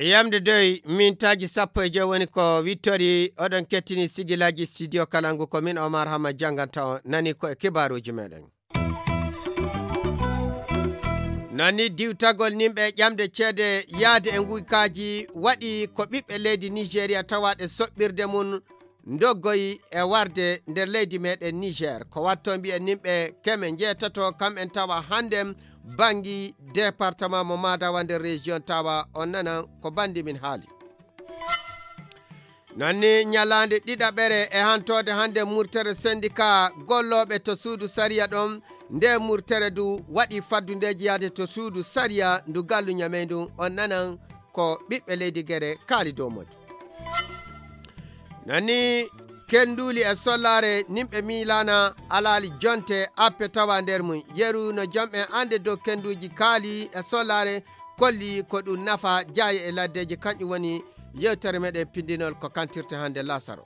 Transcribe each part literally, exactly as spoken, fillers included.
Yamde doy mintaaji sappo e joy woni ko wittori. Oɗon kettini sigilaaji studio Kalangu, ko min Omar Hama jannganta on. Nani ko e kibaaruuji meɗen. Nani diwtagol nimɓe ƴamde ceede yaade e nguykaaji waɗi ko ɓiɓɓe leydi Nigeria tawaaɗe soɓɓirde mum ndoggoyi e warde nder leydi meɗen Niger. Ko watto mbiyen nimɓe keme njeetato kam en tawa hannde banngi département mo Madawa nder région Tawa. On nanan ko banndi min haali. Nanni ñalaande ɗiɗaɓere e hantoode hannde murtere syndicat gollooɓe to suudu sariya ɗon, nde murtere du waɗi faddundeeji yaade to suudu sariya ndu gallu ñamey ndu. On nanan ko ɓiɓɓe leydi Gere kaali dow modi. Nani kenduuli e sollaare nimɓe miilaana alaali jonte appe tawa nder mum. Yeru no jomɓe annde dow kenduuji kaali e sollaare kolli ko ɗum nafa jaaye e laddeeji. Kanƴum woni yewtere meɗen pindinol ko kantirte hannde lasaro.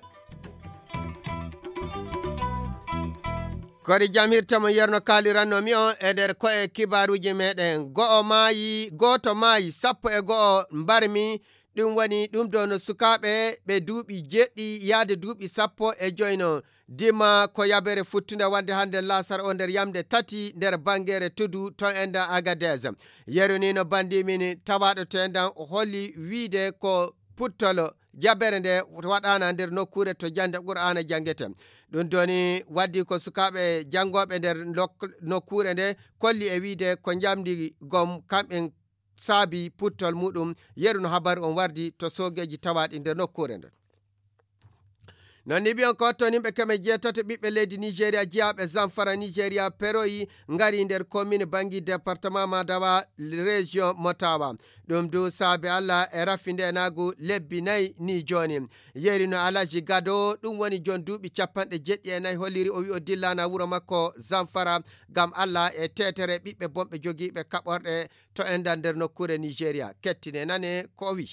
Kori jam hirta mo yerno kaaliranno mi on e nder ko'e kibaaruuji meɗen. Go'o maayi, gooto maayi, sappo e go'o mbarmi. Ɗum woni ɗum ɗo no sukaaɓe ɓe duuɓi jeɗɗi yaade duuɓi sappo e joyno. Dima ko yabere futtunde wonde hannde lasar o nder yamde tati nder bangeere tudu to enda Agadez. Yeru ni no bandi min tawaaɗo to endan o holli wiide ko puttolo jabere nde waɗaana nder nokkuure to jannde Qur'aana janngete. Ɗum doni waddi ko sukaaɓe janngooɓe nder lok-, nokkuure nde kolli e wiide ko njamdi gom kamɓen saabi puttol muɗum. Yeru no habaru on wardi to soogeeji tawaaɗi nder nokkuure nden. Non ni mbiyon ko watto nimɓe keme jeetato ɓiɓɓe leydi Nigeria jiyaaɓe Zamfara Nigeria peroyi ngari nder commune Bangi département Madawa région Motawa. Ɗum du saabe Allah e rafi ndenaagu lebbi nayi ni jooni. Yeeri no Alhaji Gado, ɗum woni jon duuɓi capanɗe jeɗɗi e nayi holliri o wi o dillana wuro makko Zamfara ngam Allah e teetere ɓiɓɓe bonɓe jogiiɓe kaɓorɗe to endan nder nokkuure Nigeria. Kettine nane ko o wi.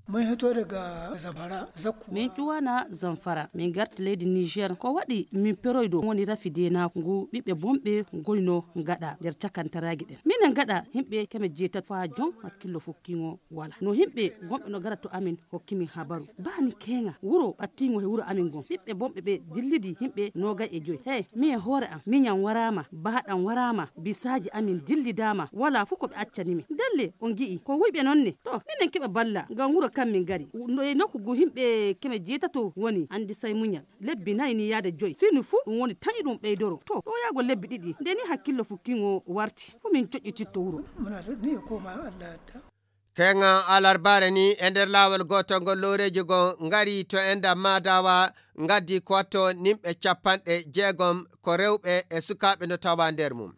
Mun hito daga Zamfara, Zakku. Min ƴuwana Zamfara, min garti leydi Niger. Ko waɗi min peroyɗo woni rafi denaku ngu ɓiɓɓe bonɓe goyno gaɗa nder cakantaraji ɗen. Minen gaɗa himɓe keme jeetati fa jon hakkillo fukkiŋo wala. No himɓe gonɓe no gara to amin hokki min habaru. Bani keŋa wuro ɓattiŋo he wuro amin gon. Ɓiɓɓe bonɓe ɓe dillidi himɓe nogay e joy. Hey, mi e hoore am, miñan waraama, bahaɗam waraama, bisaaji amin dillidaama, wala fu ko ɓe accani min. Dalle on gi'i ko wuyɓe non ne. To, minen keɓa balla ngam wuro kam min gari. No e nokku gu himɓe keme jeetato woni, andi say muñal. Lebbi nayi ni yaade joy. Finu fu ɗum woni taƴi ɗum ɓeydoro. To, ɗo yaago lebbi ɗiɗi. Nde ni hakkillo fukkiŋo warti. Fu min joƴƴititto wuro. Muna to ni e koma Allah adda. Keŋa alarbaare ni e nder laawol gootol ngol looreeji goo ngari to enda Madawa ngaddi ko watto nimɓe capanɗe jeegom ko rewɓe e sukaaɓe no tawa nder mum.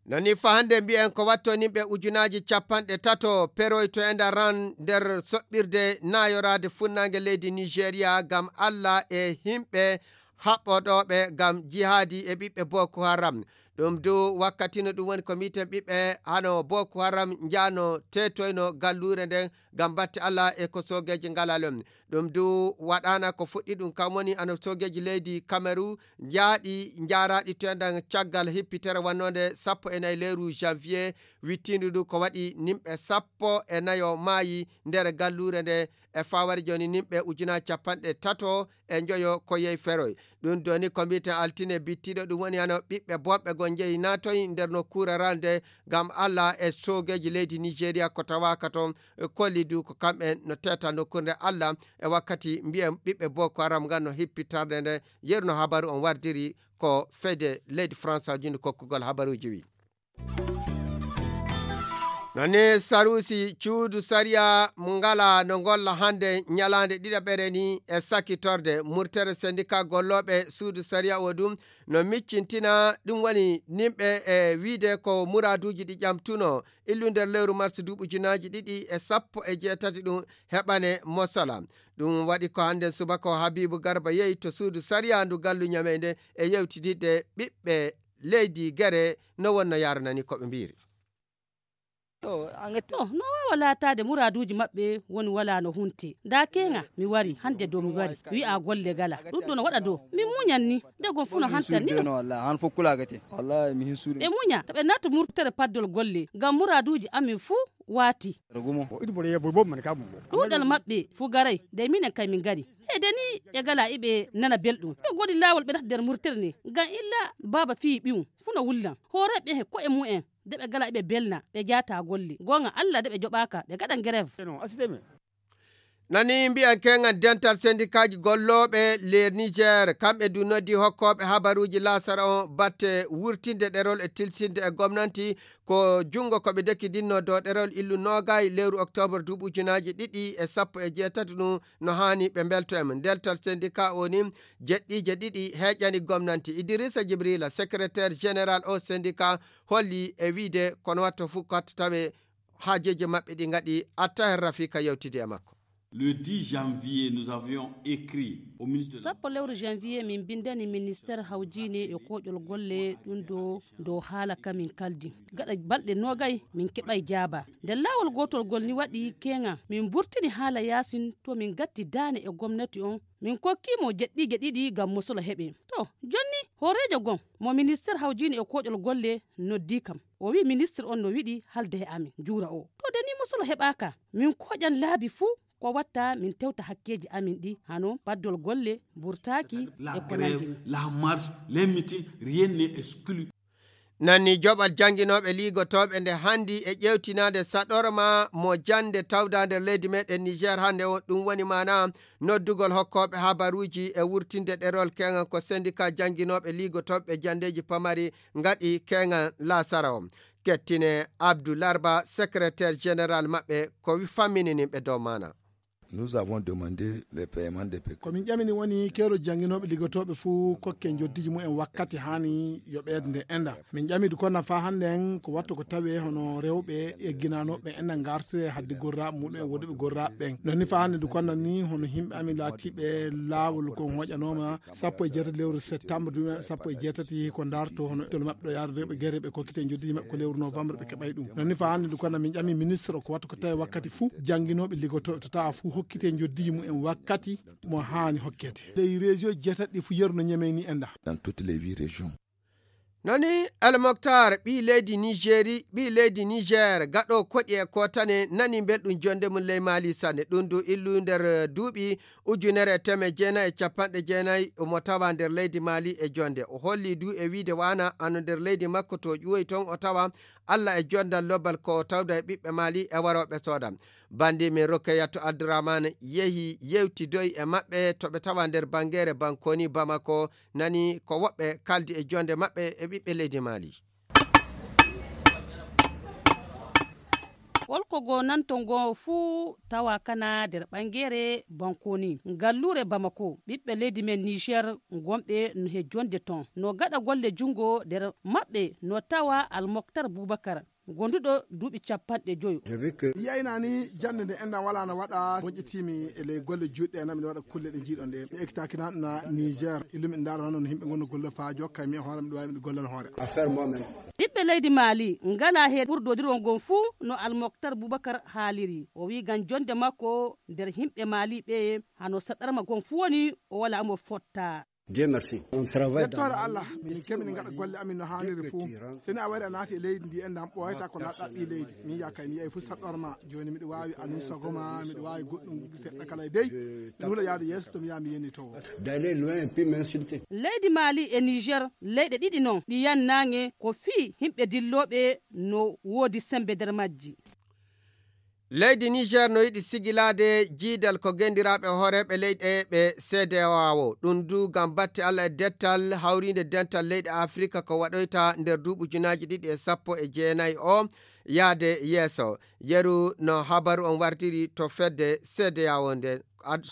Non ni fa hannde mbiyen ko watto nimɓe ujunaaji capanɗe tato peroy to enda ran nder soɓɓirde naayoraade funnaange leydi Nigeria ngam Allah e himɓe haɓɓoɗooɓe ngam jihaadi e ɓiɓɓe Boko Haram. Ɗum du wakkati no ɗum woni ko mbiiten ɓiɓɓe hano Boko Haram njaano teetoyno galluure nden ngam batte Allah e ko soogeeji ngalal on. Ɗum du waɗaana ko fuɗɗi ɗum kam woni ano soogeeji leydi Kameru njaaɗi njaaraaɗi to endan caggal hippitere wannonde sappo e nayi leeru janvier wittiindu du ko waɗi nimɓe sappo e nayo maayi nder galluure nde e fawari jooni nimɓe ujunaaji capanɗe tato e njoyo ko yehi feroy. Ɗum doni ko mbiiten altine bittiɗo ɗum woni hano ɓiɓɓe bonɓe goo njehi naatoy nder nokkuure ralde ngam Allah e soogeeji leydi Nigeria ko tawaaka toon. Kolli du ko kamɓen no teeta nokkuure nde Allah e wakkati mbiyen ɓiɓɓe Boko Haram ngan no hippi tarde nde. Yeru no habaru on wardiri ko fede leydi France jindi kokkugol habaruuji wi. Nani saruusi cuudu sariya mo ngala no ngolla hannde ñalaande ɗiɗaɓere ni e sakitorde murtere sendika gollooɓe suudu sariya o ɗum no miccintina ɗum woni nimɓe e wiide ko muraaduuji ɗi ƴamtuno illu nder lewru mars duuɓi ujunaaji ɗiɗi e sappo e jeetati ɗum heɓane mosala. Ɗum waɗi ko hannde subaka o Habibu Garba yehi to suudu sariya ndu gallu ñameynde e yewtididde ɓiɓɓe leydi gere no wonno yaranani ko ɓe mbiiri. To no waawa laataade muraaduuji maɓɓe woni walaa no hunti. Ndaa keeŋa mi wari hannde dow mi wari wi'a golle gala ɗum ɗo no waɗa dow min muñan ni. Nde gom fuu no hantan ni. Ɓe muña to ɓe naatu murtere paddol golle ngam muraaduuji amin fuu waati. Ɗuuɗal maɓɓe fuu garay nde minen kay min ngari. Heede ni ɓe gala iɓe nana belɗum ɓe godi laawol ɓe nata nder murtere ni ngam illa baaba fii ɓiyum fuu no wullan hooreeɓe he ko'e mumen. Nde ɓe gala iɓe belna ɓe jaata golle goonga allah nde ɓe joɓaaka ɓe gaɗa ngerev. Nani mbiyan keŋan dental sendikaaji gollooɓe ler niger kamɓe du noddi hokkooɓe habaruuji lasara on batte wurtinde ɗerol e tilsinde e gomnanti ko junngo ko ɓe dekkidinno dow ɗerol illu noogay lewru oktoobar duuɓi ujunaaji ɗiɗi e sappo e jeetati ɗum no haani ɓe mbelto e mum ndeltal sendika o ni jeɗɗiije ɗiɗi heƴani gomnanti idirisa jibrila secrétaire général o sendika holli e wiide kono watto fof katta tawe haajeeji maɓɓe ɗi ngaɗi attaher rafika yewtidi e makko. Le dix janvier nous avions écrit au ministre de la sappo lewru janvier min mbinndani ministére hawjiine e kooƴol golle ɗum ɗo dow haala ka min kaldi gaɗa balɗe noogay min keɓay jaaba. Nder laawol gootol gol ni waɗi keeŋa min mburtini haala yaasin to min ngatti daane e gomnati on min kokkiimo jeɗɗiije ɗiɗi ngam mosolo heɓe. To jonni hooreejo gom mo ministére hawjiine e kooƴol golle noddi kam o wi'i ministére on no wiɗi halde he amin juura o to deni mosolo heɓaaka min kooƴan laabi fuu ko watta min tewta hakkeeji amin ɗi hano paddol golle burtaaki e ko nandi. La marche, les meetings, rien n'est exclu. Nanni joɓal jannginooɓe liigotooɓe nde hanndi e ƴeewtinaande saɗorma mo jannde tawda nder leydi meɗen niger hannde o ɗum woni maana noddugol hokkooɓe habaruuji e wurtinde ɗerol keŋal ko sendika jannginooɓe liigotooɓe janndeeji pamari ngaɗi keŋal lasara o. Kettine abdou larba secrétaire général maɓɓe ko wi famminininɓe dow maana. Nous avons demandé le paiement des pécuniaires. Ko min ƴamini woni keerol jannginooɓe liggotooɓe fuu kokke njoddiiji mumen wakkati haani yo ɓeydde enda. Min ƴami du konna faa hannde en ko wattu ko tawee hono rewɓe egginanooɓe enda ngartire haddi gorraaɓe mumen wonduɓe gorraaɓe ɓen. Non ni faa hannde du konna ni hono yimɓe amin laatiiɓe laawol kon hoƴanooma sappo e jeetati lewru septembre duuɓi sappo e jeetati ko ndarto hono tol maɓɓe ɗo yaade rewɓe gere ɓe kokkite njoddiiji maɓɓe ko lewru novembre ɓe keɓay ɗum. Non ni faa hannde du konna min ƴami ministre o ko wattu ko tawi wakkati fuu jannginooɓe liggotooɓe to tawa fuu hokkite njoddiiji mumen wakkati mo haani hokkete. Ley région jeetati ɗi fuu yeru no ñemeyni enda. Dans toutes les huit régions. Nani almoktar ɓii leydi nigéri ɓii leydi niger gaɗo koɗi e kotane nani belɗum jonde mum ley mali sanne ɗum du illu nder duuɓi ujunere e teme jeenayi e capanɗe jeenayi omo tawa nder leydi mali e jonde o holli du e wiide wana ano nder leydi makko to ƴuwoyi toon o tawa allah e jondal lobbal ko tawda e ɓiɓɓe mali e warooɓe sooda. Bandi min rokkeyattu abdourahmane yehi yewtidoyi e maɓɓe to ɓe tawa nder bangere bankoni bamako nani ko woɓɓe kaldi e jonde maɓɓe e ɓiɓɓe leydi mali. Holko goo nanto ngoo fuu tawa kana nder ɓangeere bankoni ngalluure bamako ɓiɓɓe leydi men niger gonɓe no he jonde ton no gaɗa golle junngo nder maɓɓe no tawa almoktar boubakar gonduɗo duuɓi capanɗe joyo. Yiyayna ni jannde nde enɗan wala no waɗa woƴƴitiimi e ley golle juuɗe ɗe nami no waɗa kulle ɗe njiiɗon ɗe mi ekkitaki na na niger illumin ndaara hono no yimɓe ngonno golle faa jokka mi e hoore miɗo waawi miɗo gollana hoore. Ɓiɓɓe leydi maali ngala he ɓurdodirol ngon fuu no almoktar boubakar haaliri o wi ngam jonde makko nder yimɓe maali ɓe hano saɗarma gon fuu woni o wala mo fotta. Dieu merci. On travaille dans yettoore allah min kemini ngaɗa golle amin no haaniri fuu. Seni a wari a naati e leydi ndi enɗan ɓooyata ko laɗɗa ɓi leydi min yakay mi yeyi fuu saɗɗorma. Jooni miɗo waawi anin sogoma miɗo waawi goɗɗum seɗɗa kala e dey. Mi hula yaade yeeso to mi yaha mi yeni towo. D'aller loin puis m'insulter. Leydi maali e niger leyɗe ɗiɗi non ɗi yannaange ko fii yimɓe dillooɓe no woodi sembe nder majji. Leydi niger no yiɗi sigilaade jiidal ko gendiraaɓe hooreeɓe leyɗe ɓe cdao. Ɗum du ngam batte allah e dettal hawriinde dental leyɗe afrika ko waɗoyta nder duuɓi junaaji ɗiɗi e sappo e jeenayi o yaade yeeso. Yeru no habaru on wartiri to fedde cdao nde.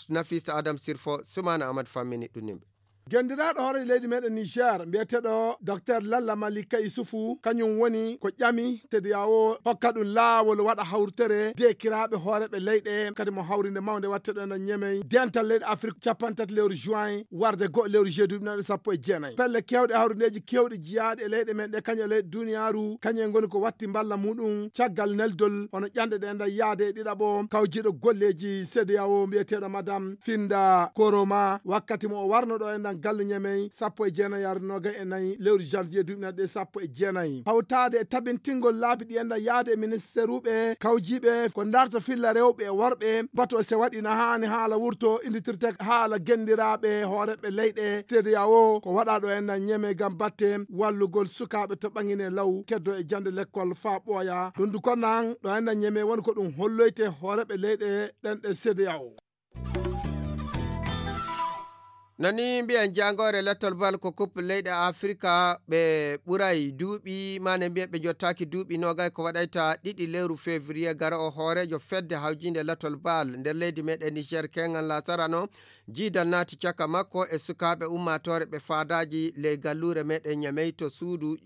Nafisa adam sirfo sumana amadou fammini ɗum nimɓe. Genndiraaɗo hooreejo leydi meɗen Niger, mbiyeteeɗo Docteur Lalla Malika Yusufu, kañum woni ko ƴami C D A O hokka ɗum laawol waɗa hawrutere deekiraaɓe hooreeɓe leyɗe, kadi mo hawrinde mawnde waɗteɗo ena ñemey dental leyɗe Afrik capanɗe tati lewru juin, warde go'o lewru juillet duuɓi nayi sappo e jeenayi. Pelle keewɗe hawrindeeji keewɗi jiyaaɗi e leyɗe men ɗe, kañum e leyɗe duniyaaru, kañum en ngoni ko watti mballa muɗum caggal neldol hono ƴanɗe ɗe enda yaade e ɗiɗaɓo kawjiiɗo golleeji C D A O mbiyeteeɗo Madame Finda Koroma, wakkati mo o warno ɗo e nder galle ñemey sappo e jeenayi yaaru noogay e nayi lewru janvier duuɓi nayi ɗe sappo e jeenayi. Hawtaade e tabintingol laabi ɗi enda yaade e ministeruɓe kawjiiɓe ko ndarto filla rewɓe e worɓe, bato se waɗi na haani haala wurto inditirte haala genndiraaɓe hooreeɓe leyɗe C D A O ko waɗa ɗo enda ñemey ngam batte wallugol sukaaɓe to ɓangine law keddo e jannde lekkol faa ɓooya. Ɗum du ko nan ɗo enda ñemey woni ko ɗum holloyte hooreeɓe leyɗe ɗen ɗe C D A O. Nani mbiyen jaangoore lettol bal ko coupe leyɗe Afrika ɓe ɓuray duuɓi, mane mbiyen ɓe jottaaki duuɓi noogay ko waɗayta ɗiɗi lewru février gara o hooreejo fedde hawjinde lettol bal nder leydi meɗen Niger keŋal lasarano, jiidal naati caka makko e sukaaɓe ummaatoore ɓe faadaaji ley galluure meɗen Ñamey to suudu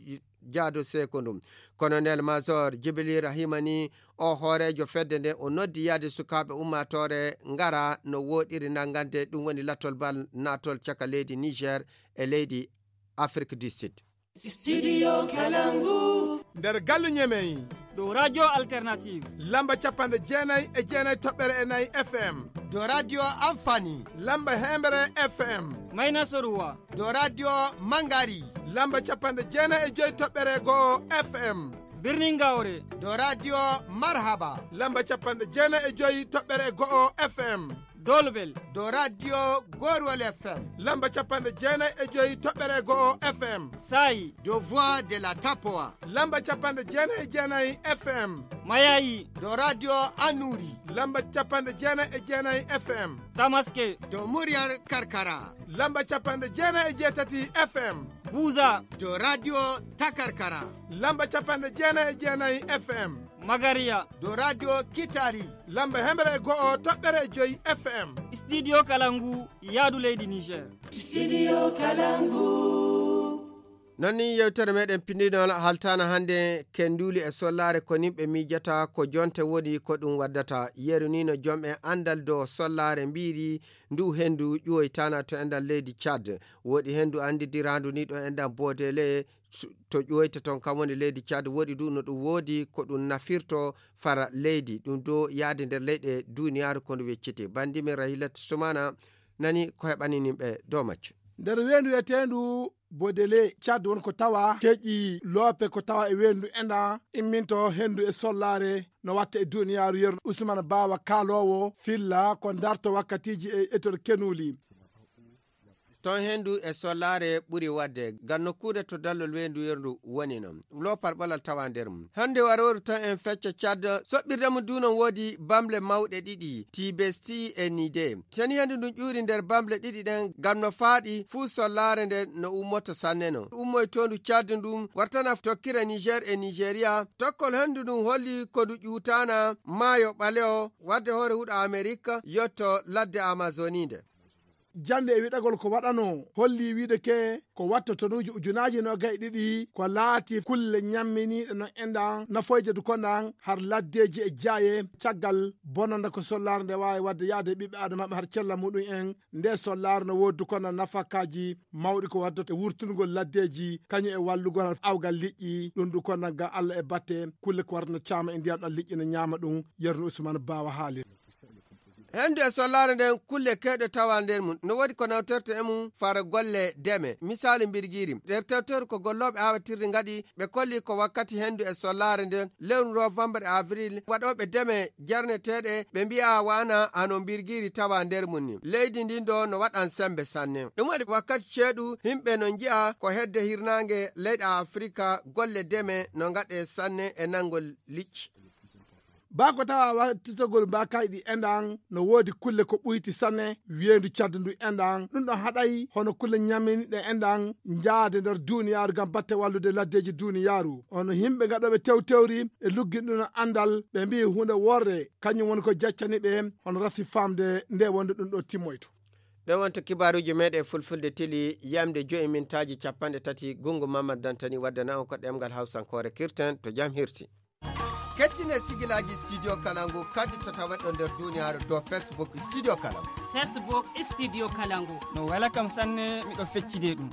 jaado seekondu. Colonel Major Jibril Rahima ni o hooreejo fedde nde o noddi yaade sukaaɓe ummaatoore ngara no wooɗiri nanngande ɗum woni lattol bal naatol caka leydi Niger e leydi Afrique du Sud. Studio Kalangu. Nder galle Ñemey. Dow Radio Alternative. Lamba capanɗe jeenayi e jeenayi toɓɓere e nayi F M. Dow Radio Amfani. Lamba heembere F M. Mayna Soruwa. Dow Radio Mangari. Lamba capanɗe jeenayi e joyi toɓɓere go'o F M. Birnin Gawre. Dow Radio Marhaba. Lamba capanɗe jeenayi e joyi toɓɓere go'o F M. Dolbel. Dow Radio Gorwol F M. Lamba capanɗe jeenayi e joyi toɓɓere go'o F M. Saayi. Dow Voix de la Tapoa. Lamba capanɗe jeenayi e jeenayi F M. Mayayi. Dow Radio Annuri. Lamba capanɗe jeenayi e jeenayi F M. Tamaske. Dow Muryar Karkara. Lamba capanɗe jeenayi e jeetati F M. Buza. Dow Radio Takarkara. Lamba capanɗe jeenayi e jeenayi F M. Magariya. Dow Radio Kitari. Lamba hemre e go'o toɓɓere e joyi F M. Studio Kalangu, yaadu leydi Niger. Studio Kalangu. Non ni yewtere meɗen pinndinol haltaana hannde kenduli e sollaare ko nimɓe miijata ko jonte woni ko ɗum waddata. Yeru ni no jom en anndal dow sollaare mbiiri ndu henndu ƴuwoytaana to enɗan leydi Tchad. Woodi henndu anndidiraandu ni ɗo enɗan Boodele su-, to ƴuwoyta toon kam woni leydi Tchad. Woodi du no ɗum woodi ko ɗum nafirto fara leydi. Ɗum do yaade nder leyɗe duniyaaru ko ndu wecciti. Banndi men Rahilat Sumana nani ko heɓani nimɓe dow majju. Nder weendu wiyeteendu Bodele, Tchad won ko tawa keƴi loope ko tawa e weendu enda imminto henndu e sollaare no watta e duniyaaru yeru. Ousmane Bawa kaaloowo filla ko darto wakkatiiji e etor kenuli. Toon henndu e sollaare ɓuri waɗde ngam nokkuure to dallol weendu yeru woni noon. Loopal ɓolal tawa nder mum. Hannde warooru tan en fecca Tchad, soɓɓirde mum du noon woodi bamle mawɗe ɗiɗi, Tibesti e Nide. Seni henndu ndun ƴuuri nder bamle ɗiɗi ɗen ngam no faaɗi fuu sollaare nde no ummoto sanne no. Ummoytoondu Tchad ndun wartana tokkira Niger e Nigeria. Tokkol henndu ndun holli ko ndu ƴuutaana maayo ɓalewo wadde hoore huɗo Amerik yotto ladde Amazoni nde. Jannde e wiɗagol ko waɗanoo holli wiide ke ko wattotonuuji ujunaaji noogay e ɗiɗi ko laati kulle ñamminiiɗe no enɗan nafoyde du konɗan har laddeeji e jaaye caggal bonanda ko sollaare nde waawi waɗde yaade e ɓiɓɓe aadama maɓɓe har cella muɗum en. Nde sollaare no woodi du konɗan nafakaaji mawɗi ko waddata e wurtungol laddeeji kañum e wallugol har awgal liƴƴi ɗum du konɗan ngam Alla e batte kulle ko warata no caama e ndiyam ɗan liƴƴi no ñaama ɗum. Yerno Usmaan Baawa haali. Henndu e sollaare nden kulle kewɗe tawa nder mum. No woodi ko nawtorte e mum fara golle deme. Misaali mbirgiiri. Nder tewteeru ko gollooɓe aawatirde ngaɗi, ɓe kolli ko wakkati henndu e sollaare nden, lewru novembre e avril, waɗooɓe deme jarneteeɗe, ɓe mbi'a waana hano mbirgiiri tawa nder mum ni. Leydi ndin ɗo no waɗan sembe sanne. Ɗum waɗi wakkati ceeɗu, yimɓe no nji'a ko hedde hirnaange leyɗe Afrika, golle deme no ngaɗe sanne e nanngol liƴƴi. Baa ko tawa wattitogol mbaakaaji ɗi enɗan, no woodi kulle ko ɓuyti sanne, weendu Tchad ndu enɗan. Ɗum ɗon haɗay hono kulle ñamminiiɗe enɗan njaade nder duuniyaaru ngam batte wallude laddeeji duuniyaaru. Hono yimɓe ngaɗooɓe tewtewri e lugginɗuno anndal, ɓe mbi'i huunde worre, kañum woni ko jaccani ɓe hono rafi faamde nde wonde ɗum ɗo timmoyto. Ɗon wonto kibaaruuji meɗen fulfulde tili yamde joyi mintaaji capanɗe tati. Gungu Mamad Dantani waddana on ko ɗemngal Hausankoore kirten to jam hirti. Kettine sigilaaji Studio Kalangu kadi to tawaɗo nder duniyaaru dow Facebook Studio Kalangu. Facebook Studio Kalangu. No wela kam sanne, miɗo feccide ɗum.